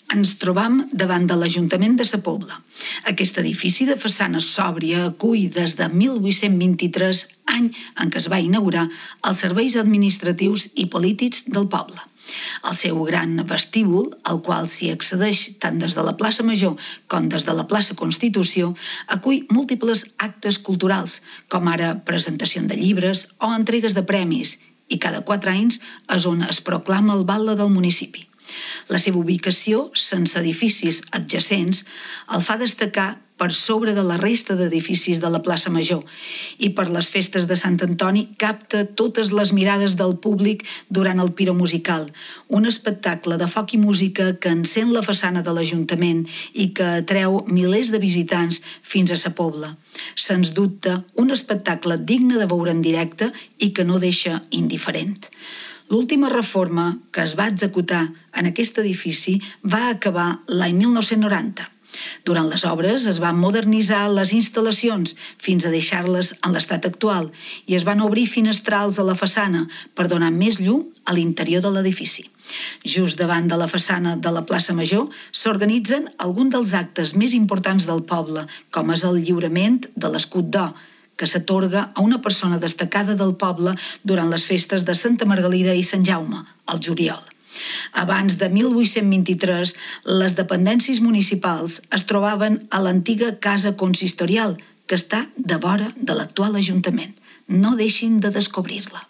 Ens trobam davant de l'Ajuntament de Sa Pobla. Aquest edifici de façana sòbria acull des de 1823, any en què es va inaugurar, els serveis administratius i polítics del poble. El seu gran vestíbul, al qual s'hi accedeix tant des de la plaça Major com des de la plaça Constitució, acull múltiples actes culturals, com ara presentació de llibres o entregues de premis, i cada 4 anys és on es proclama el batle del municipi. La seva ubicació, sense edificis adjacents, el fa destacar per sobre de la resta d'edificis de la plaça Major i per les festes de Sant Antoni capta totes les mirades del públic durant el Piro Musical, un espectacle de foc i música que encén la façana de l'Ajuntament i que atreu milers de visitants fins a Sa Pobla. Sens dubte, un espectacle digne de veure en directe i que no deixa indiferent. L'última reforma que es va executar en aquest edifici va acabar l'any 1990. Durant les obres es van modernitzar les instal·lacions fins a deixar-les en l'estat actual i es van obrir finestrals a la façana per donar més llum a l'interior de l'edifici. Just davant de la façana de la plaça Major s'organitzen alguns dels actes més importants del poble, com és el lliurament de l'escut d'or, que s'atorga a una persona destacada del poble durant les festes de Santa Margalida i Sant Jaume, al juliol. Abans de 1823, les dependències municipals es trobaven a l'antiga casa consistorial, que està de vora de l'actual Ajuntament. No deixin de descobrir-la.